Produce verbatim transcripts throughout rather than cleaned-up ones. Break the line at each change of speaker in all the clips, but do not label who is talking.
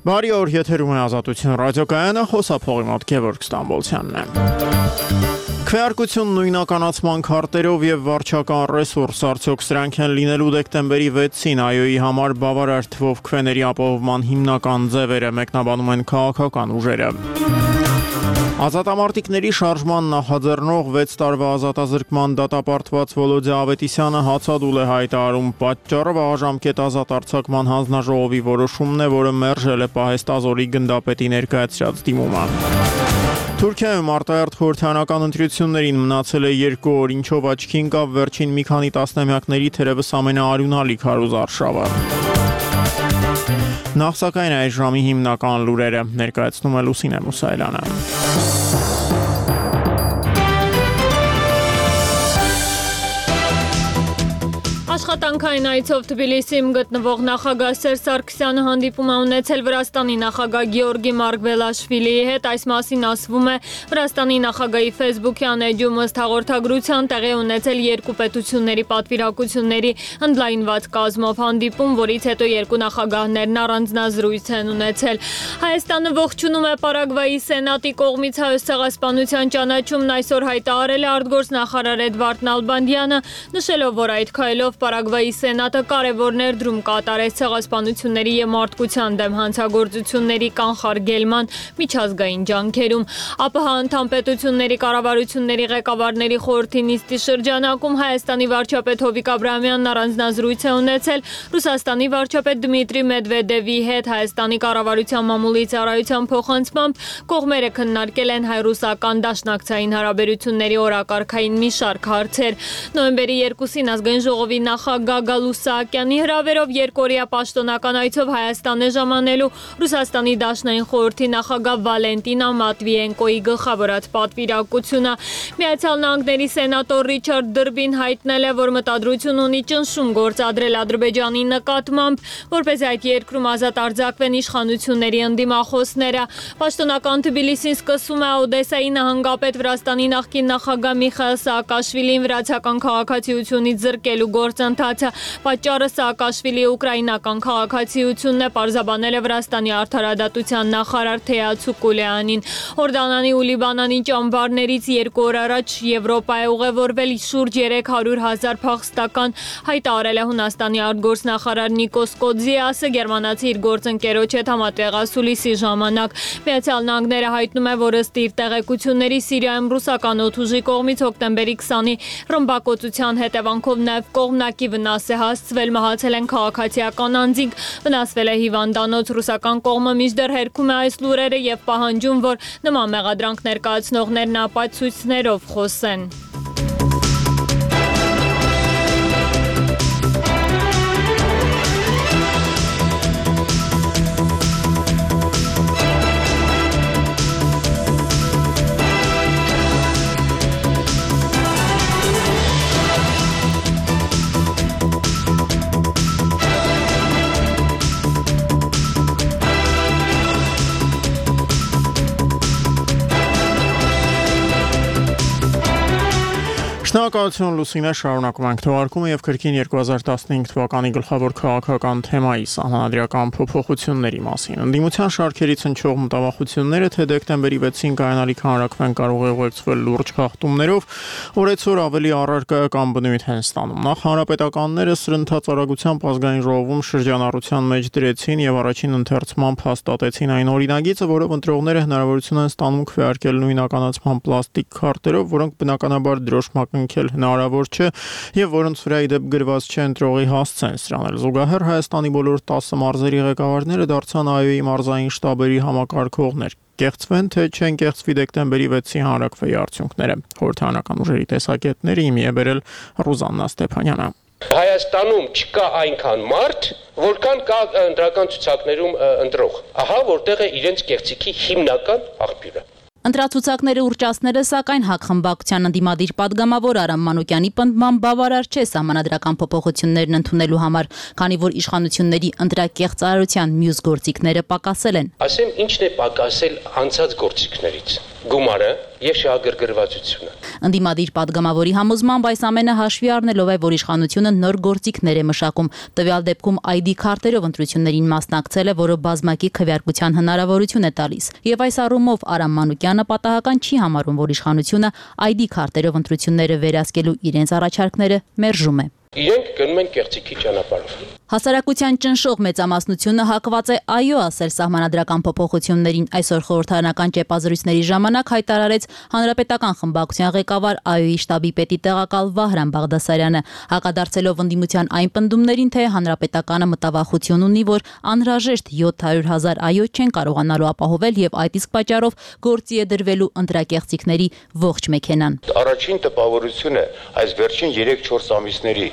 Բարի օր, եթերում է Ազատություն ռադիոկայանը, խոսափողի մոտ Գևորգ Ստամբոլցյանն է։ Քվեարկություն նույնականացման քարտերով եւ վարչական ռեսուրս արդյոք սրանք են լինելու դեկտեմբերի վեցին այ-ի համար բավարար թվով քվեների ապահովման հիմնական ձևերը, մեկնաբանում են քաղաքական ուժերը։ Ազատամարտիկների շարժման նախաձեռնող վեց տարվա ազատազրկման դատապարտված Վոլոդիա Ավետիսյանը հացադուլ է հայտարարում պատճառը վաղաժամկետ ազատ արձակման հանձնաժողովի որոշումն է, որը մերժել է Պահեստազորի գնդապետի ներկայացրած դիմումը։ Թուրքիայում արտահերթ խորհրդարանական ընտրություններին մնացել է երկու օր, ինչով աչքի ընկավ վերջին մի քանի տասնամյակների թերևս ամենաարյունալի քարոզարշավը։ Նախ սակայն այս ժամի հիմնական լուրերը ներկայացնում է Լուսինե Մուսայելյանը։
Աշխատանքային այցով Թբիլիսիում գտնվող նախագահ Սերժ Սարգսյանը հանդիպում է ունեցել Վրաստանի նախագահ Գեորգի Մարգվելաշվիլիի հետ, այս մասին ասվում է Վրաստանի նախագահի Facebook-յան էջում, ըստ հաղորդագրության տեղի ունեցել երկու պետությունների պատվիրակությունների ընդլայնված կազմով հանդիպում, որից հետո երկու նախագահներն առանձնազրույց են ունեցել։ Հայաստանը ողջունում է Պարագվայի սենատի կողմից Հայոց ցեղասպանության ճանաչումն այսօր հայտարարել է արտգործնախարար Էդվարդ Նալբանդյանը, նշելով, որ այդ քայլով Պարագվայի սենատը կարևոր ներդրում կատարեց ցեղասպանությունների և մարդկության դեմ հանցագործությունների կանխարգելման միջազգային ջանքերում։ ԱՊՀ անդամ պետությունների կառավարությունների ղեկավարների խորհրդի նիստի շրջանակում Հայաստանի վարչապետ Հովիկ Աբրահամյանն առանձնազրույց է ունեցել Ռուսաստանի վարչապետ Դմիտրի Մեդվեդևի հետ։ Հայաստանի կառավարության մամուլի ծառայության փոխանցմամբ կողմերը քննարկել են հայ-ռուսական դաշնակցային հարաբերությունների օրակարգային մի շարք հարցեր։ Նոյեմբերի երկուսին ազգային ժողովի նախագահ Գալուստ Սահակյանի հրավերով երկօրյա պաշտոնական այցով Հայաստան է ժամանելու Ռուսաստանի Դաշնային խորհրդի նախագահ Վալենտինա Մատվիենկոյի գլխավորած պատվիրակությունը։ Միացյալ Նահանգների սենատոր Ռիչարդ Դրբին հայտնել է, որ մտադրություն ունի ճնշում գործադրել Ադրբեջանի նկատմամբ, որպես այդ երկրում ազատ արձակվեն իշխանությունների ընդդիմախոսները։ Պաշտոնական Թբիլիսին սկսում է Օդեսայի նահանգապետ Վրաստանի նախկին նախագահ Միխայիլ Սաակաշվիլին վրացական քաղաքացիությունից զրկելու գործընթացը։ Պատճառը Սաակաշվիլիի ուկրաինական քաղաքացիությունն է, պարզաբանել է Վրաստանի արդարադատության նախարար Թեյացու Կուլեանին։ Հորդանանի ու Լիբանանի ճամբարներից երկու օր առաջ Եվրոպա է ուղևորվել շուրջ երեք հարյուր հազար փախստական, հայտարարել է Հունաստանի արտգործնախարար Նիկոս Կոդզիասը, գերմանացի իր գործընկերոջ հետ համատեղասուլիսի ժամանակ։ Միացյալ Նահանգները հայտնում է, որ ըստ իր տեղեկությունների Սիրիայում ռուսական օդուժի կողմից հոկտեմբերի քսանի ռմբակոծության հետևանքով նաև կողմնակի վնաս է հասցվել, մահացել են քաղաքացիական անձինք, վնասվել է հիվանդանոց։ Ռուսական կողմը մինչդեռ հերքում է այս լուրերը եւ պահանջում, որ նման մեղադրանք ներկայացնողներն ապացույցներով խոսեն։
Շնորհակալություն Լուսինե, շարունակում ենք թողարկումը եւ քրքին երկու հազար տասնհինգ թվականի գլխավոր քաղաքական թեմայի սահմանադրական փոփոխությունների մասին։ Ընդդիմության շարքերից հնչող մտավախությունները, թե դեկտեմբերի վեցին կայանալիք հանրաքվեն կարող է ուղեկցվել լուրջ խախտումներով, օրեցօր ավելի առարկայական բնույթ են ստանում։ Նախ հանրապետականները սրընթաց արագությամբ ազգային ժողովում շրջանառության մեջ դրեցին եւ առաջին ընթերցմամբ հաստատեցին այն օրինագիծը, որով ընտրողները հնարավորություն են ստանում քվեարկել նույնականացման պլաստիկ քարտերով, որոնք բնականաբար դրոշմակ հնարավոր չէ եւ որոնց վրա ի դեպ գրված չէ ընտրողի հասցեն սրանն էլ։ Զուգահեռ Հայաստանի բոլոր տասը մարզերի ղեկավարները դարձան այ-ի մարզային շտաբերի համակարգողներ։ Կեղծվեն, թե չեն կեղծվի դեկտեմբերի վեցի հանրաքվեի արդյունքները։ Խորհրդարանական ուժերի տեսակետները իմի է բերել Ռուզաննա Ստեփանյանը։
Հայաստանում չկա այնքան մարդ, որքան կա ընտրական ցուցակներում ընտրող։ Ահա որտեղ է իրենց կեղծիքի հիմնական աղբյուրը։
Ընտրացուցակների ուռճացները, սակայն ՀԱԿ խմբակցության ընդդիմադիր պատգամավոր Արամ Մանուկյանի պնդմամբ բավարար չէ սահմանադրական փոփոխություններն ընդունելու համար, քանի որ իշխանությունների ընտրակեղծարարության մյուս գործիքները պակասել են։
Ասեմ, ինչն է պակասել անցած գործիքներից։ Գումարը, եւ շահագրգռվածությունը։
Ընդդիմադիր падգամավորի համոզմամբ այս ամենը հաշվի առնելով է, որ իշխանությունը նոր գործիքներ է մշակում։ Տվյալ դեպքում այ դի քարտերով ընտրություններին մասնակցել է, որը բազմակի քվեարկության հնարավորություն է տալիս։ Եվ այս առումով Արամ Մանուկյանը պատահական չի համարում, որ իշխանությունը այ դի քարտերով ընտրությունները վերահսկելու իրենց առաջարկները մերժում է։
Իրենք գնում են կեղծիքի ճանապարհով։
Հասարակության ճնշող մեծամասնությունը հակված է այո ասել սահմանադրական փոփոխություններին։ Այսօր խորհրդարանական ճեպազրույցների ժամանակ հայտարարեց հանրապետական խմբակցության ղեկավար ԱՅՈ-ի շտաբի պետի տեղակալ Վահրամ Բաղդասարյանը, հակադարձելով ընդդիմության այն պնդումներին, թե հանրապետականը մտավախություն ունի, որ անհրաժեշտ յոթ հարյուր հազար ԱՅՈ չեն կարողանալու ապահովել եւ այդ իսկ պատճառով գործի է դրվելու ընտրակեղծիքների ողջ մեքենան։
Առաջին տպավորությունը այս վերջին երեք-չորս ամիսների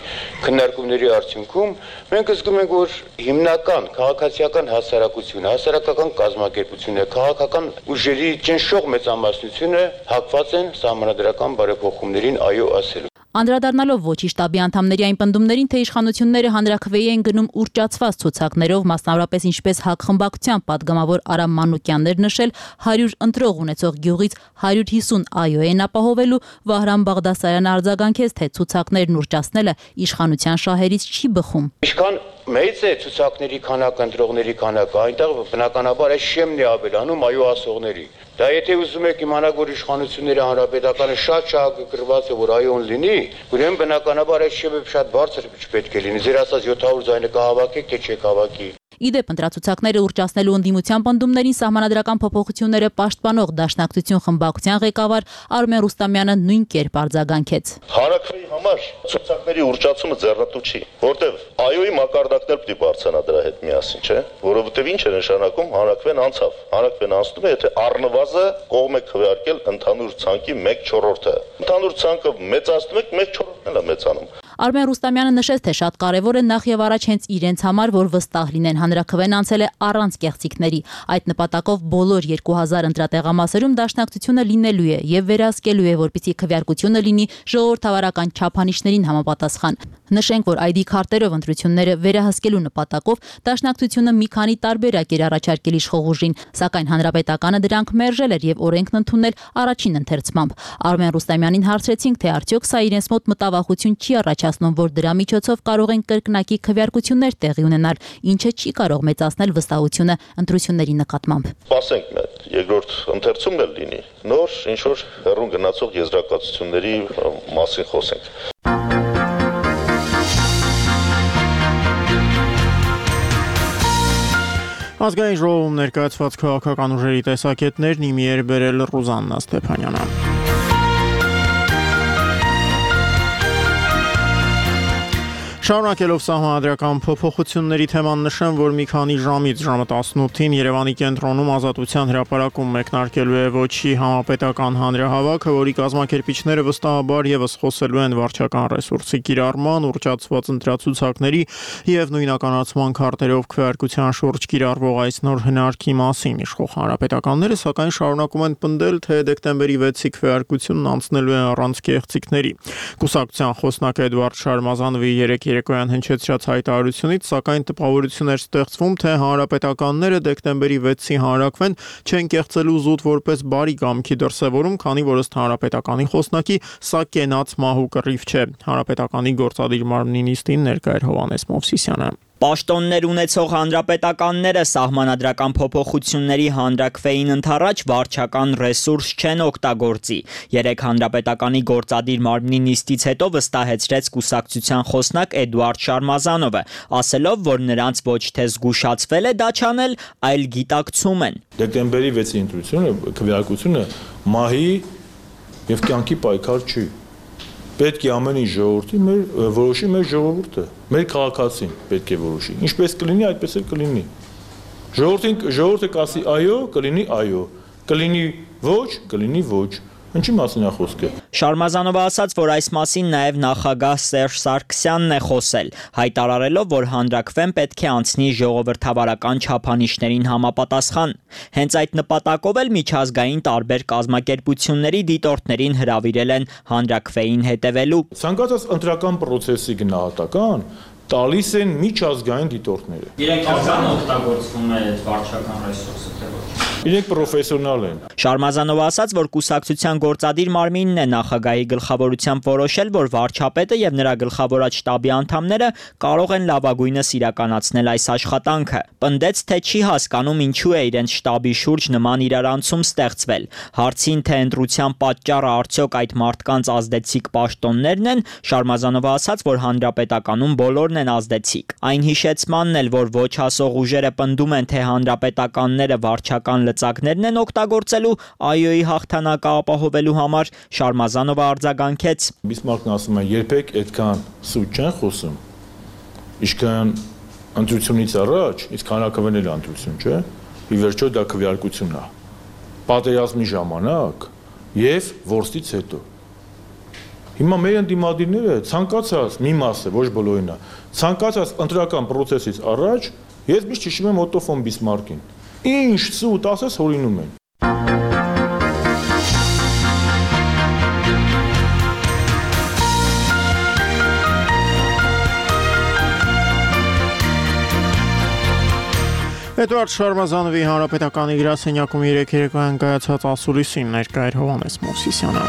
քննարկումների արդյունքում մենք զգում ենք, որ հիմնական քաղաքացիական հասարակությունը, հասարակական կազմակերպությունը, քաղաքական ուժերի ճնշող մեծամասնությունը հակված են սահմանադրական բարեփոխումներին այո ասելու։
Անդրադառնալով ոչի շտաբի անդամների այն պնդումներին, թե իշխանությունները հանրաքվեի են գնում ուռճացված ցուցակներով, մասնավորապես ինչպես ՀԱԿ խմբակցության падգամավոր Արամ Մանուկյանն էր նշել, հարյուր ընտրող ունեցող գյուղից հարյուր հիսուն ԱՅՈ են ապահովելու, Վահրամ Բաղդասարյանը արձագանքեց, թե ցուցակներն ուռճացնելը իշխանության շահերից չի բխում։
Ինչքան մեծ է ցուցակների քանակը, ընտրողների քանակը, այնտեղ բնականաբար այս շեմն է ավելանում այո ասողների։ Դա եթե ուզում եք իմանալ, որ իշխանությունները հանրապետականը շատ շահագրգռված է, որ այոն լինի, ուրեմն բնականաբար այս շեմը շատ բարձր չպետք է լինի։ Ձեր ասած յոթ հարյուր ձայնը կհավաքեք, թե չեք հավաքի։
Իդեպ ընտրացուցակները ուռճացնելու ընդդիմության պնդումներին սահմանադրական փոփոխությունները պաշտպանող Դաշնակցություն խմբակցության ղեկավար Արմեն Ռուստամյանը նույն կերպ արձագանքեց։
Հանրաքվեի համար ցուցակների ուռճացումը ձեռնտու չի, որտեվ ԱՅՈ-ի մակարդակներ պիտի բարձրանա դրա հետ միասին, չէ՞, որովհետև ինչ է նշանակում հանրաքվեն անցավ։ Հանրաքվեն անցնում է, եթե առնվազը կողմ է քվեարկել ընդհանուր ցանկի մեկ չորրորդը։ Ընդհանուր ցանկը մեծացնում եք, մեկ չորրորդն էլ է մեծանում։
Արմեն Ռուստամյանը նշեց, թե շատ կարևոր է նախ եւ առաջ հենց իրենց համար, որ վստահ լինեն, հանրաքվեն անցել է առանց կեղծիքների։ Այդ նպատակով բոլոր երկու հազար ընտրատեղամասերում Դաշնակցությունը լինելու է եւ վերահսկելու է, որպեսզի քվեարկությունը լինի ժողովրդավարական չափանիշներին համապատասխան։ Նշենք, որ այ դի քարտերով ընտրությունները վերահսկելու նպատակով Դաշնակցությունը մի քանի տարբերակ էր առաջարկել իշխող ուժին, սակայն հանրապետականը դրանք մերժել էր եւ օրենքն ընդունել առաջին ընթերցմամբ։ Արմեն Ռուստամյանին հարցրեցինք, թե արդյոք սա իրենց մոտ մտավախություն չի առաջացնում, որ դրա միջոցով կարող են կրկնակի քվեարկություններ տեղի ունենալ, ինչը չի կարող մեծացնել վստահությունը ընտրությունների նկատմամբ։
Ասենք մենք երկրորդ ընթերցումն էլ լինի, նոր ինչ որ հեռուն գնացող եզրակացությունների մասին խոսենք։
Ազգային ժողովում ներկայացված քաղաքական ուժերի տեսակետներն իմի էր բերել Ռուզաննա Ստեփանյանը։ Շարունակելով սահմանադրական փոփոխությունների թեման նշեմ, որ մի քանի ժամից ժամը տասնութին Երևանի կենտրոնում Ազատության հրապարակում մեկնարկելու է ոչի համապետական հանրահավաքը, որի կազմակերպիչները վստահաբար եւս խոսելու են վարչական ռեսուրսի կիրառման, ուռճացված ընտրացուցակների եւ նույնականացման քարտերով քվեարկության շուրջ կիրառվող այս նոր հնարքի մասին։ Իշխող հանրապետականները սակայն շարունակում են պնդել, թե դեկտեմբերի վեցի քվեարկությունն անցնելու է առանց կեղծիքների։ Կուսակցության խոսնակ Էդվարդ Շարմազանովի երեք երեկոյան հնչեցրած հայտարարությունից, սակայն տպավորություն էր ստեղծվում, թե հանրապետականները դեկտեմբերի վեցի հանրաքվեն չեն կեղծելու զուտ որպես բարի կամքի դրսևորում, քանի որ ըստ հանրապետականի խոսնակի սա կենաց մահու կռիվ չէ։ Հանրապետականի գործադիր մարմնի նիստին ներկա էր Հովհաննես Մովսիսյանը։
Պաշտոններ ունեցող հանրապետականները սահմանադրական փոփոխությունների հանրաքվեին ընդառաջ վարչական ռեսուրս չեն օգտագործի։ Երեք հանրապետականի գործադիր մարմնի նիստից հետո վստահեցրեց կուսակցության խոսնակ Էդուարդ Շարմազանովը, ասելով, որ նրանց ոչ թե զգուշացվել է դա չանել, այլ գիտակցում են։
Դեկտեմբերի վեցի ընտրությունը, քվեարկությունը մահի եւ կյանքի պայքար չի։ Պետք է ամեն ինչ ժողովրդի մեր որոշի մեր ժողովուրդը, մեր քաղաքացին պետք է որոշի։ Ինչպես կլինի, այդպես էլ կլինի։ Ժողովրդին ժողովուրդը կասի այո, կլինի այո, կլինի ոչ, կլինի ոչ։ Ինչի մասին է խոսքը։
Շարմազանովը ասաց, որ այս մասին նաև նախագահ Սերժ Սարգսյանն է խոսել, հայտարարելով, որ հանրաքվեն պետք է անցնի ժողովրդավարական չափանիշներին համապատասխան։ Հենց այդ նպատակով էլ միջազգային տարբեր կազմակերպությունների դիտորդներին հրավիրել են հանրաքվեին հետևելու։
Ցանկացած ընտրական process-ի գնահատական տալիս են միջազգային դիտորդները։
Իրենք արդեն օգտագործվում է վարչական ռեսուրսը, թե ոչ։
Իրենք պրոֆեսիոնալ են։
Շարմազանովը ասաց, որ կուսակցության գործադիր մարմինն է նախագահի գլխավորությամբ որոշել, որ վարչապետը եւ նրա գլխավորած շտաբի անդամները կարող են լավագույնս իրականացնել այս աշխատանքը։ Պնդեց, թե չի հասկանում ինչու է իրենց շտաբի շուրջ նման իրարանցում ստեղծվել։ Հարցին, թե ընտրության պատճառը արդյոք այդ մարդկանց ազդեցիկ պաշտոններն են, Շարմազանովը ասաց, որ հանրապետականում բոլորն են ազդեցիկ։ Այն հիշեցմանն էլ, որ ոչ հասող ուժերը պնդում են, թե հանրապետականները վարչական լծակներն են օգտագործելու ԱՅՈ-ի հաղթանակը ապահովելու համար, Շարմազանովը արձագանքեց.
Բիսմարկն ասում է, երբեք այդքան սուտ չեն խոսում, ինչքան ընտրությունից առաջ, իսկ հանրաքվեն էլ ընտրություն, չէ՞, ի վերջո դա քվեարկությունն է, պատերազմի ժամանակ եւ որսից հետո։ Հիմա մեր ընդդիմադիրները ցանկացած մի մասը, ոչ բոլորին է, ցանկացած ընտրական process-ից առաջ ես միշտ հիշում եմ Օտո ֆոն Բիսմարկին։ Ինչ սուտ ասես հորինում են։
Էդուարդ Շարմազանովի հանրապետականի գրասենյակում երեկ երեկոյան կայացած ասուլիսին ներկա էր Հովհաննես Մովսիսյանը։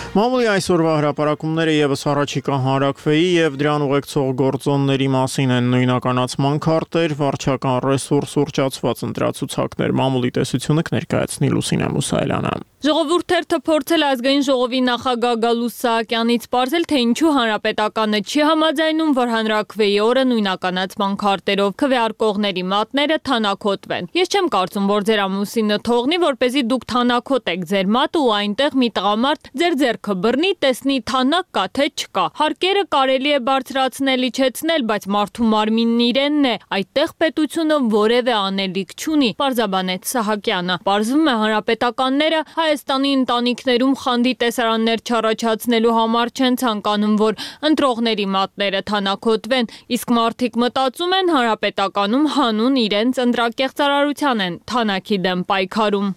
Մամուլի այսօրվա հրապարակումները ևս առաջիկա հանրաքվեի եւ դրան ուղեկցող գործոնների մասին են նույնականացման քարտեր, վարչական ռեսուրս ուրճացված ընտրացուցակներ, մամուլի տեսությունը կներկայացնի Լուսինե Մուսայելյանը։
Ժողովուրդ թերթը փորձել ազգային ժողովի նախագահ Գալուստ Սահակյանից պարզել, թե ինչու հանրապետականը չի համաձայնում, որ հանրաքվեի օրը նույնականացման քարտերով քվեարկողների մատները թանաքոտվեն։ Ես չեմ կարծում, որ ձեր ամուսինը թողնի, որպեսզի դուք թանաքոտեք ձեր մատը ու այնտեղ մի տղամարդ ձեր ձեռքը բռնի, տեսնի թանակ կա թե չկա։ Հարկերը կարելի է բարձրացնել, իջեցնել, բայց մարդու մարմինն իրենն է, այդտեղ պետությունը որևէ անելիք չունի, պարզաբանեց Սահակյանը։ Պարզվում է հանրապետականները Հայաստանի ընտանիքներում խանդի տեսարաններ չառաջացնելու համար չեն ցանկանում, որ ընտրողների մատները թանաքոտվեն, իսկ մարդիկ մտածում են հանրապետականում հանուն իրենց ընտրակեղծարարության են թանաքի դեմ պայքարում։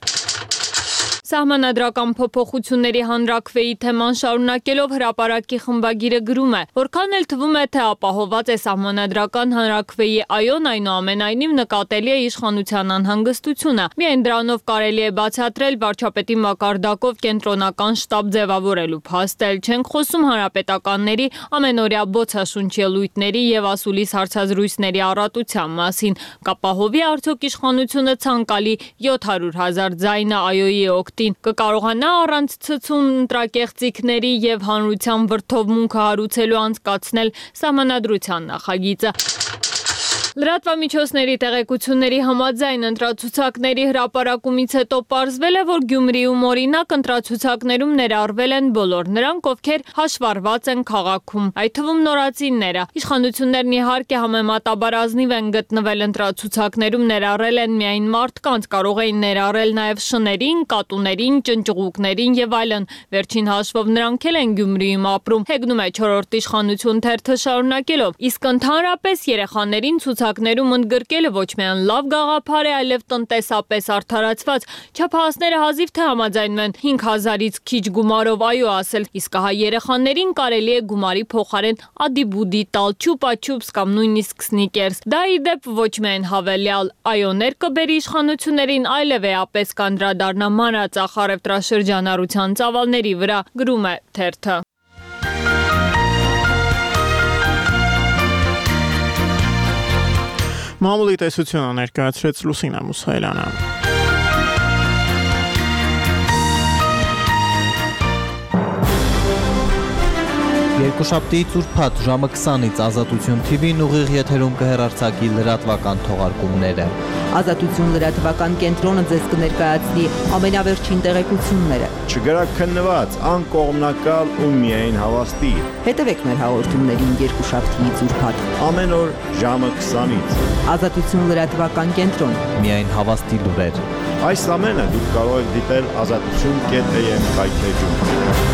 Սահմանադրական փոփոխությունների հանրաքվեի թեման շարունակելով հրապարակի խմբագիրը գրում է, որքան էլ թվում է, թե ապահոված է սահմանադրական հանրաքվեի ԱՅՈ-ն, այնուամենայնիվ նկատելի է իշխանության անհանգստությունը։ Միայն դրանով կարելի է բացատրել վարչապետի մակարդակով կենտրոնական շտաբ ձևավորելու փաստել։ Չենք խոսում հանրապետականների ամենօրյա բոցաշունչ ելույթների եւ ասուլիս հարցազրույցների առատության մասին։ Կապահովի արդյոք իշխանությունը ցանկալի յոթ հարյուր հազար ձայնը ԱՅՈ-ի օգտին կկարողանա առանց ցցուն ընտրակեղծիքների եւ հանրության վրդովմունքը հարուցելու անցկացնել սահմանադրության նախագիծը։ Լրատվամիջոցների տեղեկությունների համաձայն ընտրացուցակների հրապարակումից հետո պարզվել է, որ Գյումրիում օրինակ ընտրացուցակներում ներառվել են բոլոր նրանք, ովքեր հաշվառված են քաղաքում, այդ թվում նորածինները։ Իշխանություններն իհարկե համեմատաբար ազնիվ են գտնվել ընտրացուցակներում ներառել են միայն մարդկանց, կարող էին ներառել նաև շներին, կատուներին, ճնճղուկներին եւ այլն։ Վերջին հաշվով նրանք էլ են Գյումրիում ապրում։ Հեգնում է չորրորդ իշխանություն թերթը շարունակելով, իսկ ընդհանրապես երեխաներին ցուցակներում ընդգրկելը ոչ միայն լավ գաղափար է, այլև տնտեսապես արդարացված։ Չափահասները հազիվ թե համաձայնվեն հինգ հազարից քիչ գումարով այո ասել, իսկ հա երեխաներին կարելի է գումարի փոխարեն ադիբուդի տալ, չուպա-չուպս կամ նույնիսկ սնիկերս։ Դա ի դեպ ոչ միայն հավելյալ այոներ կբերի իշխանություններին, այլև էապես կանդրադառնա մանրածախ առևտրաշրջանառության ծավալների վրա, գրում է թերթը։
Մամուլի տեսությունը ներկայացրեց Լուսինե Մուսայելյանը։
Երկուշաբթի ծուրփաթ ժամը քսանից Ազատություն թի վին ուղիղ եթերում կհեռարձակի լրատվական թողարկումները։
Ազատություն լրատվական կենտրոնը ձեզ կներկայացնի ամենավերջին տեղեկությունները։
Չգրաքննված, անկողմնակալ ու միայն հավաստի։
Հետևեք մեր հաղորդումներին երկուշաբթի ծուրփաթ
ամեն օր ժամը քսանից։
Ազատություն լրատվական կենտրոն։
Միայն հավաստի լուրեր։
Այս ամենը դուք կարող եք դիտել ազատություն կետ էյ էմ կայքեջում։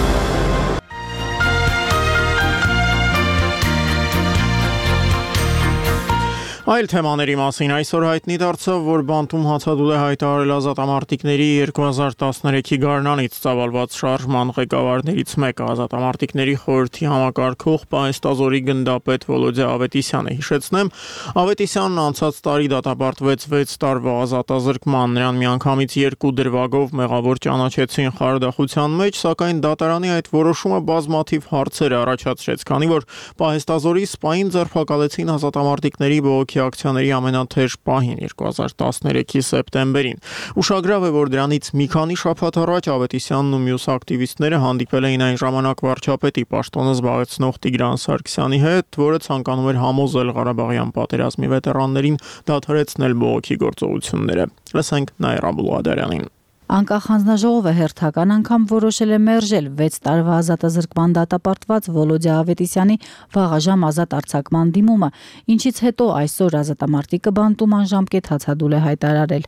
Այլ թեմաների մասին այսօր հայտնի դարձավ, որ բանտում հացադուլ է հայտարարել ազատամարտիկների երկու հազար տասներեքի գարնանից ծավալված շարժման ղեկավարներից մեկը ազատամարտիկների խորհրդի համակարգող պահեստազորի գնդապետ Վոլոդիա Ավետիսյանը։ Հիշեցնեմ, Ավետիսյանն անցած տարի դատապարտվեց վեց տարվա ազատազրկման, նրան միանգամից երկու դրվագով մեղավոր ճանաչեցին խարդախության մեջ, սակայն դատարանի այդ որոշումը բազմաթիվ հարցեր առաջացրեց, քանի որ պահեստազորի սպային ձերբակալեցին ազատամարտիկների բողոքի ակցիաների ամենաթեժ պահին երկու հազար տասներեքի սեպտեմբերին։ Ուշագրավ է, որ դրանից մի քանի շաբաթ առաջ Ավետիսյանն ու մյուս ակտիվիստները հանդիպել էին այն ժամանակ վարչապետի պաշտոնը զբաղեցնող Տիգրան Սարգսյանի հետ, որը ցանկանում էր համոզել Ղարաբաղյան պատերազմի վետերաններին դադարեցնել բողոքի գործողությունները։ Լսենք Նաիրա Բուլղադարյանին։
Անկախ հանձնաժողովը հերթական անգամ որոշել է մերժել վեց տարվա ազատազրկման դատապարտված Վոլոդիա Ավետիսյանի վաղաժամ ազատ արձակման դիմումը, ինչից հետո այսօր ազատամարտիկը բանտում անժամկետ հացադուլ է հայտարարել։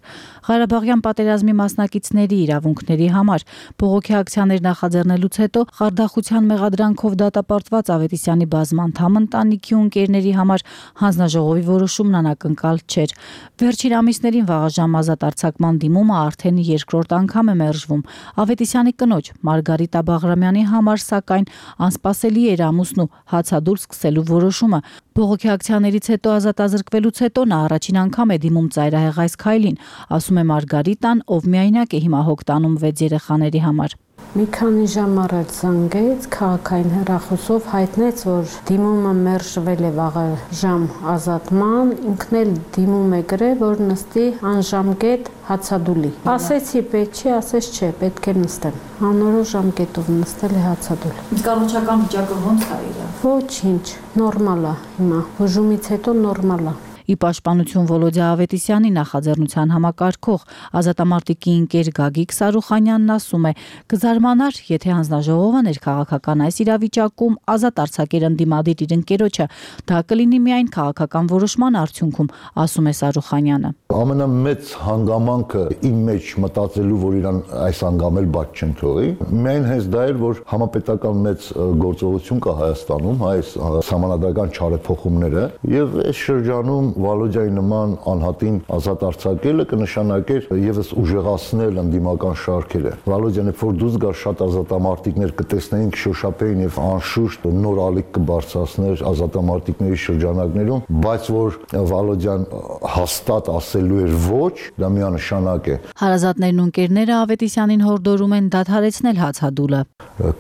Ղարաբաղյան պատերազմի մասնակիցների իրավունքների համար բողոքի ակցիաներ նախաձեռնելուց հետո խարդախության մեղադրանքով դատապարտված Ավետիսյանի բազմանդամ ընտանիքի ու ընկերների համար հանձնաժողովի որոշումն անակնկալ չէր։ Վերջին ամիսներին վաղաժամ ազատ արձակման դիմումը արդեն երկրորդ անգամ է մերժվում։ Ավետիսյանի կնոջ Մարգարիտա Բաղրամյանի համար սակայն անսպասելի էր ամուսնու հացադուլ սկսելու որոշումը։ Բողոքի ակցիաներից հետո ազատազրկվելուց հետո նա առաջին անգամ է դիմում ծայրահեղ այս քայլին, ասում է Մարգարիտան, ով միայնակ է հիմա հոգ տանում վեց երեխաների համար։
Մի քանի ժամ առաջ զանգեց, քաղաքային հեռախոսով հայտնեց, որ դիմումը մերժվել է վաղաժամ ազատման, ինքն էլ դիմում է գրել, որ նստի անժամկետ հացադուլի։ Ասեցի պետք չի, ասեց չէ, պետք է նստեմ։ Անորոշ ժամկետով նստել է հացադուլ։
Կառուցական վիճակը ո՞նց է իր։
Ոչինչ, նորմալ է հիմա, բուժումից հետո նորմալ է։
Ի պաշտպանություն Վոլոդիա Ավետիսյանի նախաձեռնության համակարգող ազատամարտիկի ընկեր Գագիկ Սարուխանյանն ասում է. «Կզարմանար, եթե հանձնաժողովը ներքաղաքական այս իրավիճակում ազատ արձակեր ընդդիմադիր իր ընկերոջը, դա կլինի միայն քաղաքական որոշման արդյունքում», ասում է Սարուխանյանը։
Ամենամեծ հանգամանքը իմ մեջ մտածելու, որ իրան այս անգամ էլ բաց չեն թողի, միայն հենց դա էր, որ համապետական մեծ գործողություն կա Հայաստանում, այս սահմանադրական չարեփոխումները, եւ այս շրջանում Վոլոդիայի նման անհատին ազատ արձակելը կնշանակեր եւս ուժեղացնել ընդդիմական շարքերը։ Վոլոդիան որ դուրս գար, շատ ազատամարտիկներ կտեսնեին, կշոշափեին եւ անշուշտ նոր ալիք կբարձրացներ ազատամարտիկների շրջանակներում, բայց որ Վոլոդիան հաստատ ասելու էր ոչ, դա միանշանակ է։
Հարազատներն ու ընկերները Ավետիսյանին հորդորում են դադարեցնել հացադուլը։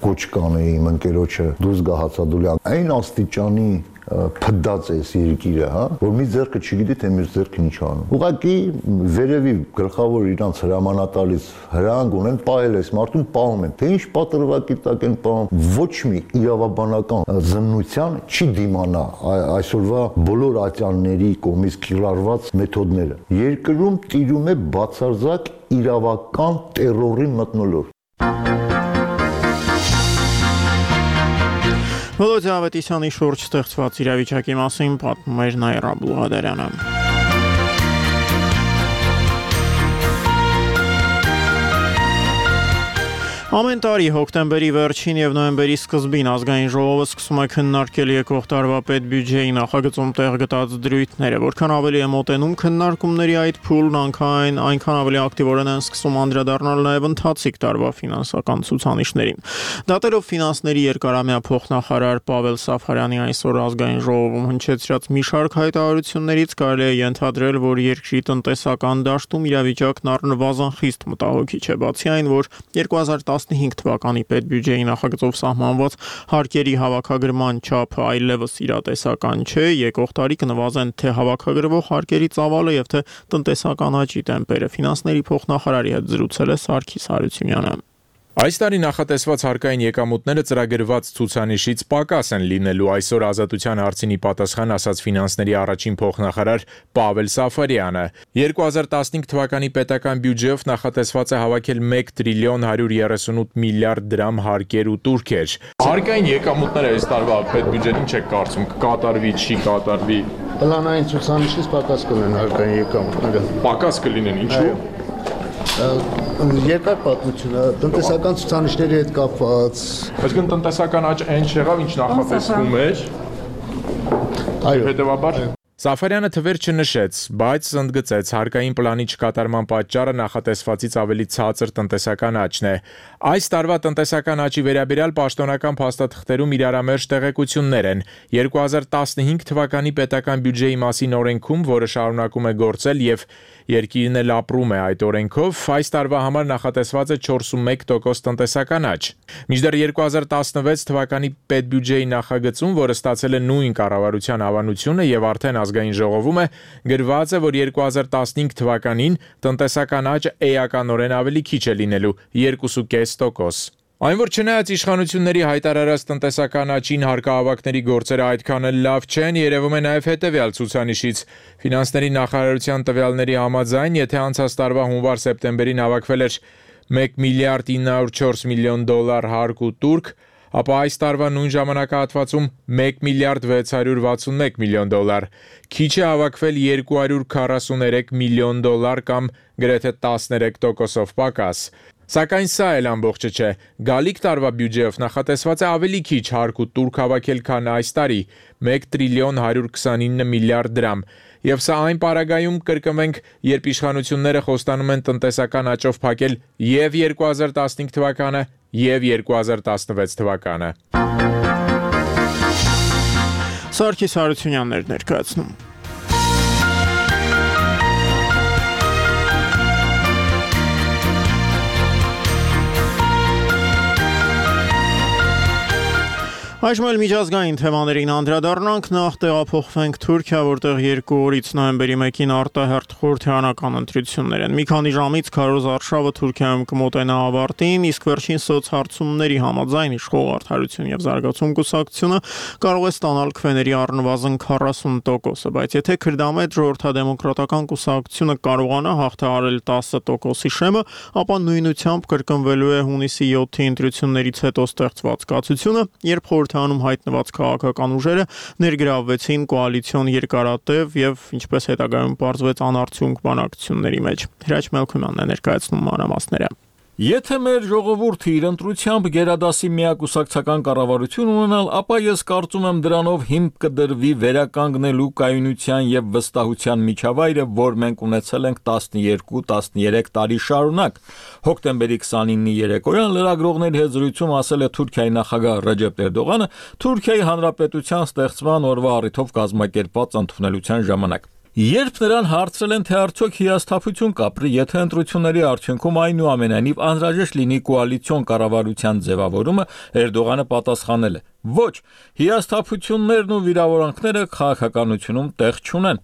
Կոչ կանեի իմ ընկերոջը դուրս գա հացադուլի այն աստիճանի փդած է երկիրը, հա, որ մի ձեռքը չգիտի թե մյուս ձեռքին ինչ անում։ Ուղղակի վերևի գլխավոր իրանց հրամանատարից հրանք ունեն, պահել այս մարդուն պահում են։ Թե ինչ պատրվակի տակ են պահում, ոչ մի իրավաբանական զննության չի դիմանա այսօրվա բոլոր ատյանների կողմից կիրառված մեթոդները։ Երկրում տիրում է բացարձակ իրավական տերորի մթնոլորտ։
Վոլոդիա Ավետիսյանի շուրջ ստեղծված իրավիճակի մասին պատմում էր Նաիրա Բուլղադարյանը։ Ամեն տարի հոկտեմբերի վերջին եւ նոյեմբերի սկզբին ազգային ժողովը սկսում է քննարկել եկող տարվա պետբյուջեի նախագծում տեղ գտած դրույթները, որքան ավելի է մոտենում քննարկումների այդ փուլն, այնքան այնքան ավելի ակտիվորեն են սկսում անդրադառնալ նաեւ ընթացիկ տարվա ֆինանսական ցուցանիշներին։ Դատելով ֆինանսների երկարամյա փոխնախարար Պավել Սաֆարյանի այսօր ազգային ժողովում հնչեցրած մի շարք հայտարարություններից կարելի է ենթադրել, որ երկրի տնտեսական դաշտում իրավիճակն առնվազն խիստ մտահոգիչ է, բացի այն, որ երկու հազար տասնհինգ թվականի պետբյուջեի նախագծով սահմանված հարկերի հավաքագրման չափը այլևս իրատեսական չէ, եկող տարի կնվազեն թե հավաքագրվող հարկերի ծավալը եւ թե տնտեսական աճի տեմպերը։ Ֆինանսների փոխնախարարի հետ զրուցել է Սարգիս Հարությունյանը։
Այս տարի նախատեսված հարկային եկամուտները ծրագրված ցուցանիշից պակաս են լինելու, այսօր Ազատության հարցին ի պատասխան ասաց ֆինանսների առաջին փոխնախարար Պավել Սաֆարյանը։ երկու հազար տասնհինգ թվականի պետական բյուջեով նախատեսված է հավաքել մեկ տրիլիոն հարյուր երեսունութ միլիարդ դրամ հարկեր ու տուրքեր։ Հարկային եկամուտները այս տարվա պետբյուջեին չեք կարծում կկատարվի, չի կատարվի։
Պլանային ցուցանիշից պակաս կլինեն հարկային եկամուտները։
Պակաս կլինեն, ինչու՞։
Երկար պատմություն է, տնտեսական ցուցանիշների հետ կապված։
Այսինքն տնտեսական աճ այն չեղավ, ինչ նախատեսվում էր։
Այո,
հետևաբար Սաֆարյանը թվեր չնշեց, բայց ընդգծեց հարկային պլանի չկատարման պատճառը նախատեսվածից ավելի ցածր տնտեսական աճն է։ Այս տարվա տնտեսական աճի վերաբերյալ պաշտոնական փաստաթղթերում իրարամերժ տեղեկություններ են։ երկու հազար տասնհինգ թվականի պետական բյուջեի մասին օրենքում, որը շարունակում է գործել եւ երկիրն էլ ապրում է այդ օրենքով, այս տարվա համար նախատեսված է չորսունմեկ տոկոս տնտեսական աճ։ Մինչդեռ երկու հազար տասնվեց թվականի պետբյուջեի նախագծում, որը ստացել է նույն կառավարության հավանությունը եւ արդեն ազգային ժողովում է, գրված է, որ երկու հազար տասնհինգ թվականին տնտեսական աճը էականորեն ավելի քիչ է լինելու՝ երկուսուկես տոկոս։ Այն որ չնայած իշխանությունների հայտարարած տնտեսական աճին հարկահավաքների գործերը այդքան էլ լավ չեն, երևում է նաև հետևյալ ցուցանիշից։ Ֆինանսների նախարարության տվյալների համաձայն, եթե անցած տարվա հունվար-սեպտեմբերին հավաքվել էր մեկ միլիարդ ինը հարյուր չորս միլիոն դոլար հարկ ու տուրք, ապա այս տարվա նույն ժամանակահատվածում մեկ միլիարդ վեց հարյուր վաթսունմեկ միլիոն դոլար։ Քիչ է հավաքվել երկու հարյուր քառասուներեք միլիոն դոլար կամ գրեթե տասներեք տոկոսով պակաս։ Սակայն սա էլ ամբողջը չէ։ Գալիք տարվա բյուջեով նախատեսված է ավելի քիչ հարկ ու տուրք հավաքել, քան այս տարի՝ մեկ տրիլիոն հարյուր քսանինը միլիարդ դրամ։ Եվ սա այն պարագայում կրկնվենք, երբ իշխանությունները խոստանում են տնտեսական աճով փակել եւ երկու հազար տասնհինգ թվականը, եւ երկու հազար տասնվեց թվականը։
Սարգիս Հարությունյանն էր ներկայացնում։ Այժմ էլ միջազգային թեմաներին անդրադառնանք, նախ տեղափոխվենք Թուրքիա, որտեղ երկու օրից նոյեմբերի մեկին արտահերթ խորհրդարանական ընտրություններ են։ Մի քանի ժամից քարոզ արշավը Թուրքիայում կմոտենա ավարտին, իսկ վերջին սոցհարցումների համաձայն իշխող Արդարություն եւ զարգացում կուսակցությունը կարող է ստանալ քվեների առնվազն քառասուն տոկոսը, բայց եթե Քրդամետ ժողովրդադեմոկրատական կուսակցությունը կարողանա հաղթահարել տասը տոկոսի շեմը, ապա նույնությամբ կրկնվելու է հունիսի յոթի ընտրություններից հետո ստեղծված կացությունը, երբ անում հայտնված քաղաքական ուժերը ներգրավվեցին կոալիցիոն երկարատև եւ ինչպես հետագայում պարզվեց անարդյունք բանակցությունների մեջ։ Հրաչ Մելքումյանն է ներկայացնում մանրամասները։
Եթե մեր ժողովուրդը իր ընտրությամբ գերադասի միակուսակցական կառավարություն ունենալ, ապա ես կարծում եմ դրանով հիմք կդրվի վերականգնելու կայունության եւ վստահության միջավայրը, որ մենք ունեցել ենք տասնյոթ տասներեք տարի շարունակ։ Հոկտեմբերի քսանինի երեկոյան լրագրողների հետ զրույցում ասել է Թուրքիայի նախագահ Ռեջեփ Էրդողանը Թուրքիայի հանրապետության ստեղծման օրվա առիթով կազմակերպված ընդունելության ժամանակ։ Երբ նրան հարցրել են, թե արդյոք հիասթափություն կապրի, եթե ընտրությունների արդյունքում այնուամենայնիվ անհրաժեշտ լինի կոալիցիոն կառավարության ձևավորումը, Էրդողանը պատասխանել է. ոչ, հիասթափություններն ու վիրավորանքները քաղաքականությունում տեղ չունեն։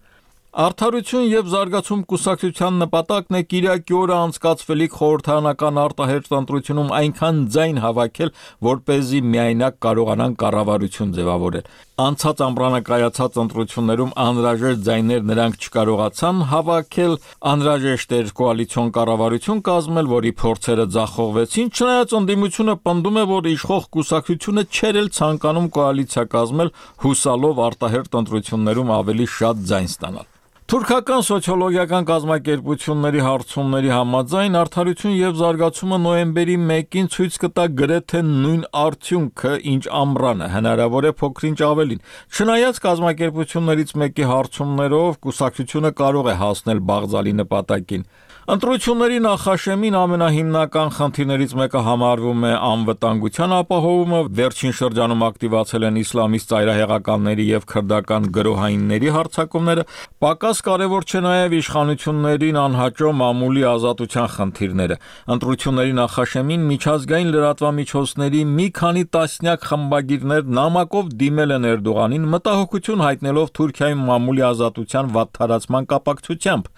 Արդարություն եւ զարգացում կուսակցության նպատակն է Կիրակի օրը անցկացվելիք խորհրդարանական արտահերթ ընտրությունում այնքան ձայն հավաքել, որպեսզի միայնակ կարողանան կառավարություն ձևավորել։ Անցած ամռանը կայացած ընտրություններում անհրաժեշտ ձայներ նրանք չկարողացան հավաքել, անհրաժեշտ էր կոալիցիոն կառավարություն կազմել, որի փորձերը ձախողվեցին, չնայած ընդդիմությունը պնդում է, որ իշխող կուսակցությունը չէր էլ ցանկանում կոալիցիա կազմել, հուսալով արտահերթ ընտրություններում ավելի շատ ձայն ստանալ։ Թուրքական սոցիոլոգիական կազմակերպությունների հարցումների համաձայն Արդարություն եւ զարգացումը նոյեմբերի մեկին ցույց կտա գրեթե նույն արդյունքը, ինչ ամռանը, հնարավոր է փոքրինչ ավելին։ Չնայած կազմակերպություններից մեկի հարցումներով կուսակցությունը կարող է հասնել բաղձալի նպատակին։ Ընտրությունների նախաշեմին ամենահիմնական խնդիրներից մեկը համարվում է անվտանգության ապահովումը, վերջին շրջանում ակտիվացել են իսլամիստ ծայրահեղականների եւ քրդական գրոհայինների հարձակումները, պակաս կարևոր չէ նաեւ իշխանություններին անհաճո մամուլի ազատության խնդիրները։ Ընտրությունների նախաշեմին միջազգային լրատվամիջոցների մի քանի տասնյակ խմբագիրներ նամակով դիմել են Էրդողանին մտահոգություն հայտնելով Թուրքիայում մամուլի ազատության վատթարացման կապակցությամբ։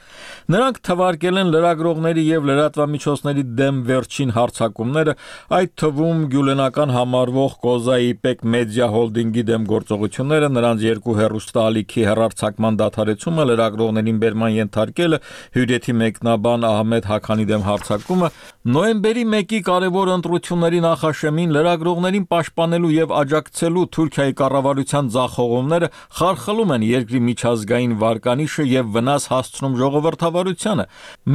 Նրանք թվարկել են լրագրողների եւ լրատվամիջոցների դեմ վերջին հարձակումները, այդ թվում գյուլենական համարվող Կոզայի Պեք մեդիա հոլդինգի դեմ գործողությունները, նրանց երկու հեռուստաալիքի հեռարձակման դադարեցումը, լրագրողներին բերման ենթարկելը, հյուրեթի մեկնաբան Ահմեդ Հաքանի դեմ հարձակումը, նոյեմբերի մեկի կարևոր ընտրությունների նախաշեմին լրագրողներին պաշտպանելու եւ աջակցելու Թուրքիայի կառավարության ձախողումները խարխլում են երկրի միջազգային վարկանիշը եւ վնաս հասցնում ժողովրդավարությանը։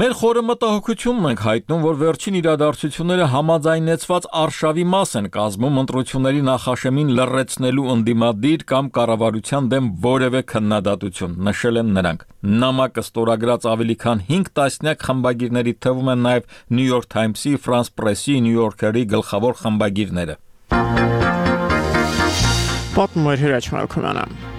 Մեր խորը մտահոգությունն ենք հայտնում, որ վերջին իրադարձությունները համաձայնեցված արշավի մաս են կազմում ընտրությունների նախաշեմին լռեցնելու ընդդիմադիր կամ կառավարության դեմ որևէ քննադատություն, նշել են նրանք։ Նամակը ստորագրած ավելի քան հինգ տասնյակ խմբագիրների թվում են նաև New York Times-ի, France Press-ի, New Yorker-ի գլխավոր խմբագիրները։
Պատմում էր Հրաչ Մալքոմյանը։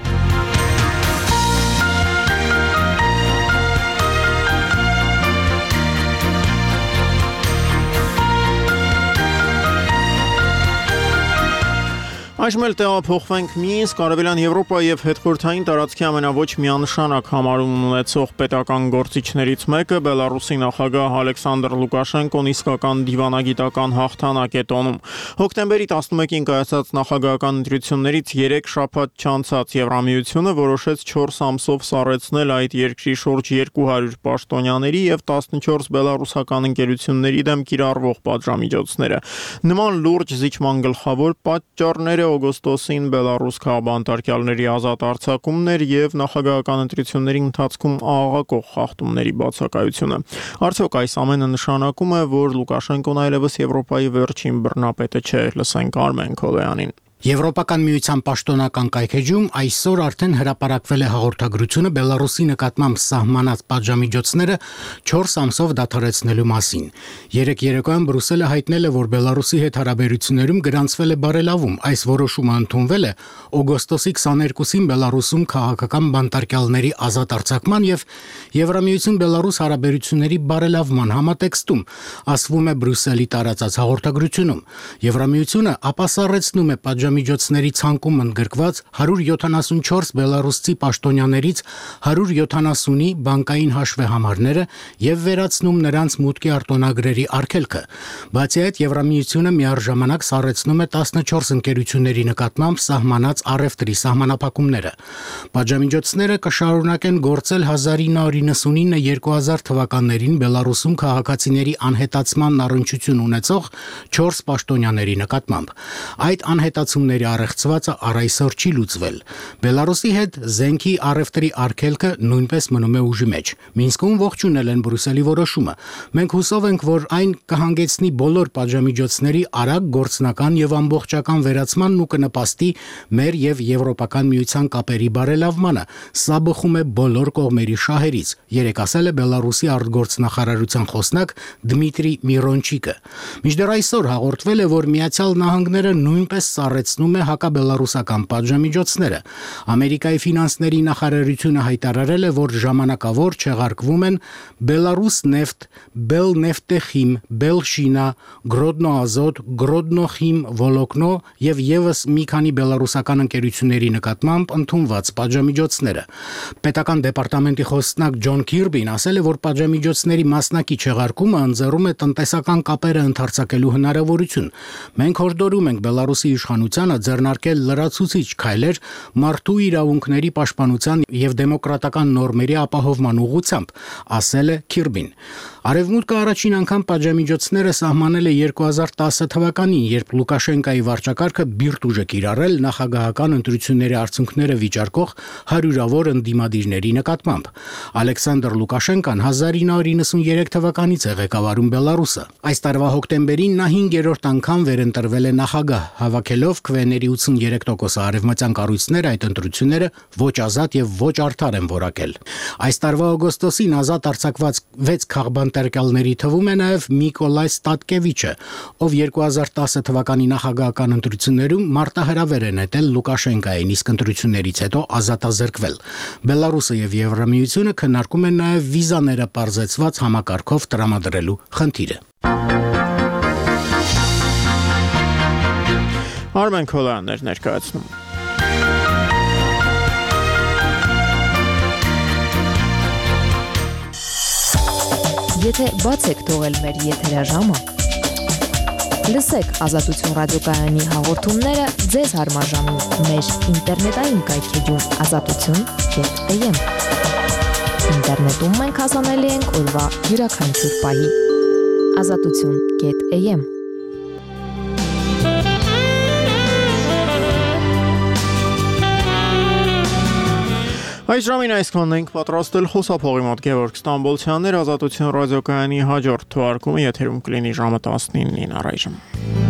Այժմ էլ տեղափոխվենք Մինսկ, Արևելյան Եվրոպա եւ հետխորհրդային տարածքի ամենաոչ միանշանակ համարում ունեցող պետական գործիչներից մեկը Բելարուսի նախագահ Ալեքսանդր Լուկաշենկոն իսկական դիվանագիտական հաղթանակ է տոնում։ Հոկտեմբերի տասնմեկին կայացած նախագահական ընտրություններից երեք շաբաթ չանցած Եվրամիությունը որոշեց չորս ամսով սառեցնել այդ երկրի շուրջ երկու հարյուր պաշտոնյաների եւ տասնչորս բելարուսական ընկերությունների դեմ կիրառվող պատժամիջոցները։ Նման լուրջ զիջման գլխավոր պատճառները օգոստոսին Բելարուս քաղաքապետարների ազատ արձակումներ եւ նախագահական ընտրությունների ընթացքում աղաղակող խախտումների բացակայությունը։ Արդյոք այս ամենը նշանակում է, որ Լուկաշենկոն այլևս Եվրոպայի վերջին բռնապետը չէ, լսենք Արմեն Քոլոյանին։
Եվրոպական միության պաշտոնական կայքեջում այսօր արդեն հրապարակվել է հաղորդագրությունը Բելարուսի նկատմամբ սահմանած պատժամիջոցները չորս ամսով դադարեցնելու մասին։ Երեկ երեկոյան Բրյուսելը հայտնել է, որ Բելարուսի հետ հարաբերություններում գրանցվել է բարելավում։ Այս որոշումը ընդունվել է օգոստոսի քսաներկուսին Բելարուսում քաղաքական բանտարկյալների ազատ արձակման եւ Եվրամիություն Բելարուս հարաբերությունների բարելավման համատեքստում, ասվում է Բրյուսելի տարածած հաղորդագրությունում։ Եվրամիությունը ապասառեցնում է պատժամիջոցների ցանկում ընդգրկված հարյուր յոթանասունչորս բելարուսցի պաշտոնյաներից հարյուր յոթանասունի բանկային հաշվեհամարները եւ վերացնում նրանց մուտքի արտոնագրերի արգելքը։ Բացի այդ, Եվրամիությունը միառժամանակ սառեցնում է տասնչորս ընկերությունների նկատմամբ սահմանած առևտրի սահմանափակումները։ Պատժամիջոցները կշարունակեն գործել հազար ինը հարյուր նվաթ երկու հազար թվականներին Բելարուսում քաղաքացիների անհետացման առնչություն ունեցող չորս պաշտոնյաների նկատմամբ։ Այդ անհետացումների առեղծվածը առ այսօր չի լուծվել։ Բելարուսի հետ զենքի առևտրի արգելքը նույնպես մնում է ուժի մեջ։ Մինսկում ողջունել են Բրյուսելի որոշումը։ Մենք հուսով ենք, որ այն կհանգեցնի բոլոր պատժամիջոցների արագ գործնական եւ ամբողջական վերացմանն ու կնպաստի մեր եւ Եվրոպական միության կապերի բարելավմանը։ Սա բխում է բոլոր կողմերի շահերից, երեք ասել է Բելարուսի արտգործնախարարության խոսնակ Դմիտրի Միրոնչիկը։ Մինչդեռ այսօր հաղորդվել է, որ Միացյալ Նահանգները նույնպես սառեցնում է հակաբելարուսական պատժամիջոցները։ Ամերիկայի ֆինանսների նախարարությունը հայտարարել է, որ ժամանակավոր չեղարկվում են Բելարուս նեֆտ, Բելնեֆտեխիմ, Բելշինա, Գրոդնոազոտ, Գրոդնոխիմ Վոլոկնո եւ եւս մի քանի բելարուսական ընկերությունների նկատմամբ ընդունված պատժամիջոցները։ Պետական դեպարտամենտի խոսնակ Ջոն Քիրբին ասել է, որ պատժամիջոցների մասնակի չեղարկումը ընձեռում է տնտեսական կապերը ընդարձակելու հնարավորություն։ Մենք հորդորում ենք Բելարուսի իշխանությանը ձեռնարկել լրացուցիչ քայլեր մարդու իրավունքների պաշտպանության եւ դեմոկրատական նորմերի ապահովման ուղղությամբ, ասել է Քիրբին։ Արևմուտքը առաջին անգամ պատժամիջոցները սահմանել է երկու հազար տասը թվականին, երբ Լուկաշենկայի վարչակարգը բիրտ ուժ է կիրառել նախագահական ընտրությունների արդյունքները վիճարկող հարյուրավոր ընդդիմադիրների նկատմամբ։ Ալեքսանդր Լուկաշենկան հազար ինը հարյուր նվաթ թվականից է ղեկավարում Բելարուսը։ Այս տարվա հոկտեմբերին նա հինգերորդ անգամ վերընտրվել է նախագահ, հավաքելով քվեների ութսուններեք տոկոս արևմտյան կառույցները այդ ընտրությունները ոչ ազատ եւ ոչ արդար են որակել։ Այս տարվա օգոստոսին ազատ արձակված վեց քաղաքապետարների թվում է նաեւ Միկոլայ Ստատկևիչը, ով երկու հազար տասը թվականի նախագահական ընտրություններում մարտահրավեր է նետել Լուկաշենկային, իսկ ընտրություններից հետո ազատազրկվել։ Բելարուսը եւ Եվրամիությունը քննարկում են նաեւ վիզաները պարզեցված համակարգով տրամադրելու խնդիրը։
Արմեն Քոլոյանն էր ներկայացնում։
Եթե բաց եք թողել մեր եթերաժամը, լսեք Ազատություն ռադիոկայանի հաղորդումները ձեզ հարմար ժամին մեր ինտերնետային կայքեջում ազատություն կետ էմ։ Ինտերնետում մենք հասանելի ենք օրվա յուրաքանչյուր պահի։ ազատություն կետ էյ էմ
Այս ժամին այսքանն ենք պատրաստել խոսափողի մոտ Գևորգ Ստամբոլցյաններ ազատություն ռադիոկայանի հաջորդ թողարկումը եթերում կլինի ժամը տասնինին առայժմ։